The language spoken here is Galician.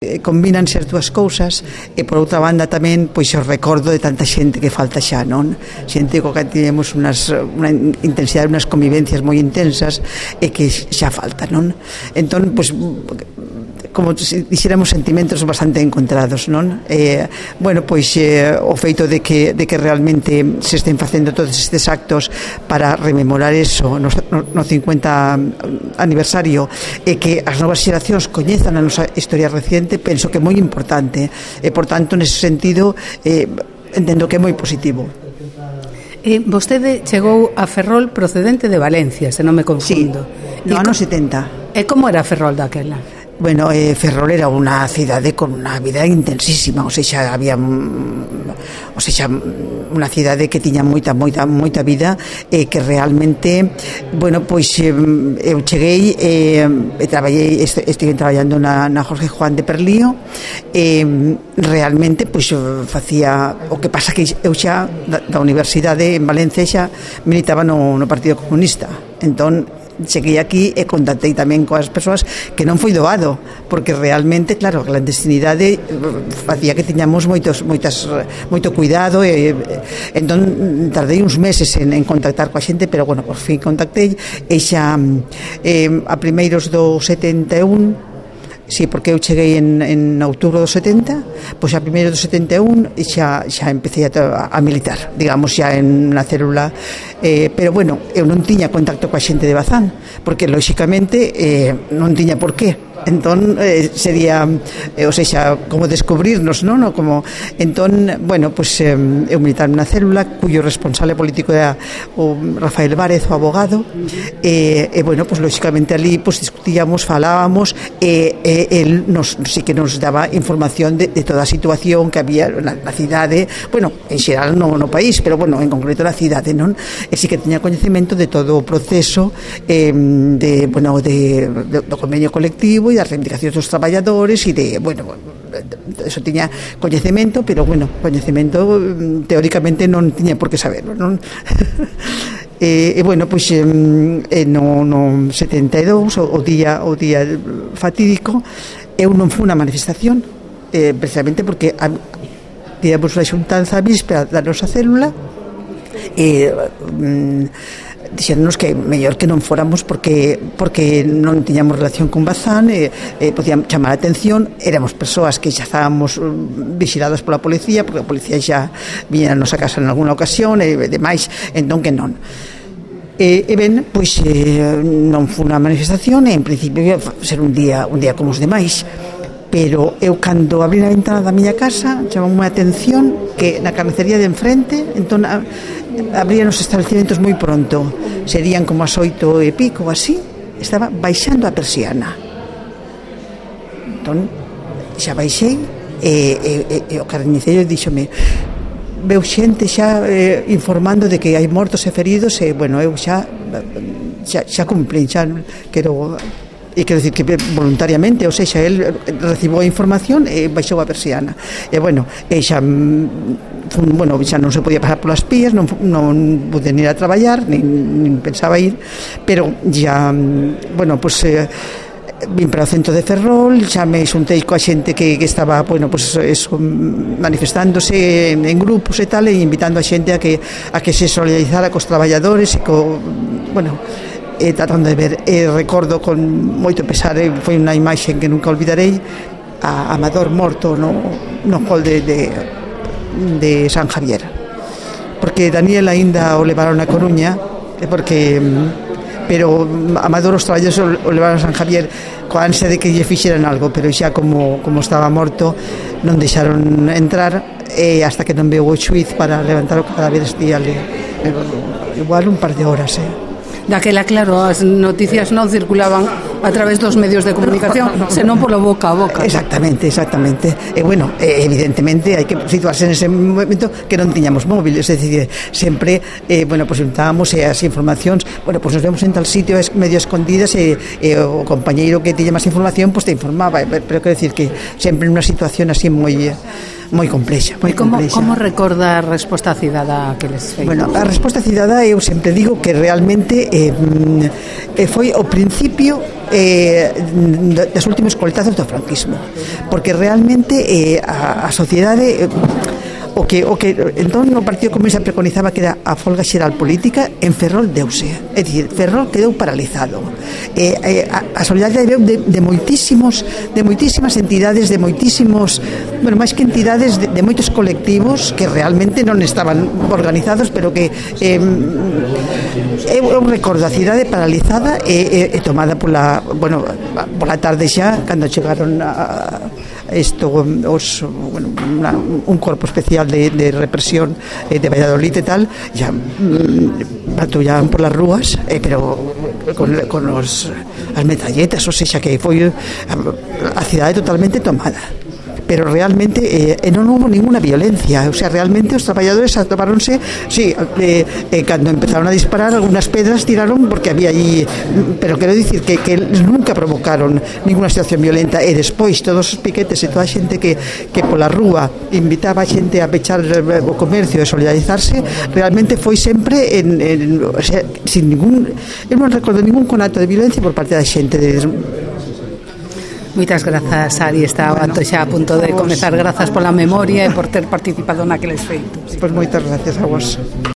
Combínanse as dúas cousas e por outra banda tamén pois o recordo de tanta xente que falta xa, non? Xente co que tivemos unha intensidade, unhas convivencias moi intensas e que xa falta, non? Entón, pois como se dixéramos sentimentos bastante encontrados, non? Bueno, pois o feito de que realmente se estén facendo todos estes actos para rememorar eso no 50 aniversario e que as novas xeracións coñezan a nosa historia reciente, penso que é moi importante e, por tanto, nese sentido entendo que é moi positivo. Vostede chegou a Ferrol procedente de Valencia, se non me confundo. Sí, no ano 70. E como era Ferrol daquela? Bueno, Ferrol era unha cidade con unha vida intensísima, ou seja, había unha cidade que tiña moita vida e que realmente, bueno, pois eu cheguei e estive traballando na Jorge Juan de Perlío e realmente pois facía o que pasa que eu xa da universidade en Valencia xa militaba no Partido Comunista, entón cheguei aquí e contactei tamén coas persoas que non foi doado, porque realmente, claro, a clandestinidade facía que tiñamos moito cuidado e entón tardei uns meses en contactar coa xente, pero bueno, por fin contactei e xa a primeiros do 71. Sí, porque eu cheguei en outubro do 70, pois a primeiro do 71 xa empecé a militar, digamos, xa en na célula, pero bueno, eu non tiña contacto coa xente de Bazán, porque lóxicamente non tiña por qué. Entón sería, ou seja, como descubrirnos, non? Como entón, bueno, pois eu militaba na célula cuyo responsable político era o Rafael Várez, o abogado, e bueno, pois lóxicamente ali pois discutíamos, falábamos e el sí que nos daba información de toda a situación que había na cidade, bueno, en xeral no país, pero bueno, en concreto na cidade, non? E sí que tiña coñecemento de todo o proceso do convenio colectivo e das reivindicacións dos traballadores e de, bueno, eso tiña coñecemento, pero bueno, coñecemento teóricamente non tiña por que saberlo, non? E bueno, pois no 72 o día fatídico eu non fui unha manifestación precisamente porque tivemos unha xuntanza a víspera da nosa célula e dixéronnos que mellor que non fóramos porque non tiñamos relación con Bazán e podían chamar a atención, éramos persoas que xa estábamos vixiladas pola policía, porque a policía xa viña a nosa casa en alguna ocasión e demais, entón que non. E ben, pois non foi unha manifestación e en principio ia ser un día como os demais, pero eu cando abrí a ventana da miña casa chamou a atención que na carnicería de enfrente, entón abrían os establecimentos moi pronto, serían como as 8 e pico así, estaba baixando a persiana, entón xa baixei e o carniceiro díxome, veu xente xa informando de que hai mortos e feridos e bueno, eu xa cumplín, xa quero dicir que voluntariamente, ou seja, el recibiu a información e baixou a persiana e bueno, xa non se podía pasar polas pías, non pude ir a traballar nin pensaba ir, pero xa bueno, pois vim para o centro de Ferrol, xa me xuntei coa xente que estaba, bueno, pois eso, manifestándose en grupos e tal, e invitando a xente a que se solidarizara cos traballadores e bueno, tratando de ver, recordo con moito pesar, foi unha imaxe que nunca olvidarei, a Amador morto no hall de San Javier, porque Daniel aínda o levaron a Coruña, pero Amador os traballadores o levaron a San Javier coa ansia de que lle fixeran algo, pero xa como estaba morto non deixaron entrar e hasta que non veu o xuiz para levantar o cadáver estíale igual un par de horas, Daquela, claro, as noticias non circulaban a través dos medios de comunicación, senón polo boca a boca. Exactamente. E bueno, evidentemente hai que situarse nese momento que non tiñamos móviles, é dicir, sempre, bueno, pois juntábamos as informacións, bueno, pois nos vemos en tal sitio medio escondidas e o compañeiro que tiña máis información, pois te informaba, pero quero dicir que sempre nunha situación así moi complexa. Como recorda a resposta cidadá que les feitos? Bueno, a resposta cidadá eu sempre digo que realmente foi o principio das últimos coltazos do franquismo, porque realmente a sociedade o que entón o Partido Comunista preconizaba que era a folga xeral política, en Ferrol deuse, é dicir, Ferrol quedou paralizado. A solidaridade veu de moitísimas entidades, de moitísimos, bueno, máis que entidades, de moitos colectivos que realmente non estaban organizados, pero que eu recordo a cidade paralizada e tomada pola tarde xa, cando chegaron un corpo especial de represión de Valladolid e tal, ya patrullaban por las rúas, pero con as metralletas, o sea que foi a cidade totalmente tomada, pero realmente non hubo ninguna violencia, o sea, realmente os traballadores atoparonse, sí, cando empezaron a disparar algunhas pedras tiraron porque había allí, pero quero dicir que nunca provocaron ninguna situación violenta, e despois todos os piquetes e toda a xente que pola rúa invitaba a xente a pechar o comercio e solidarizarse, realmente foi sempre o sea, sin ningún, eu non recordo ningún conato de violencia por parte da xente Moitas grazas, Ari, está xa a punto de comezar. Grazas pola memoria e por ter participado naqueles feitos. Pois moitas gracias a vos.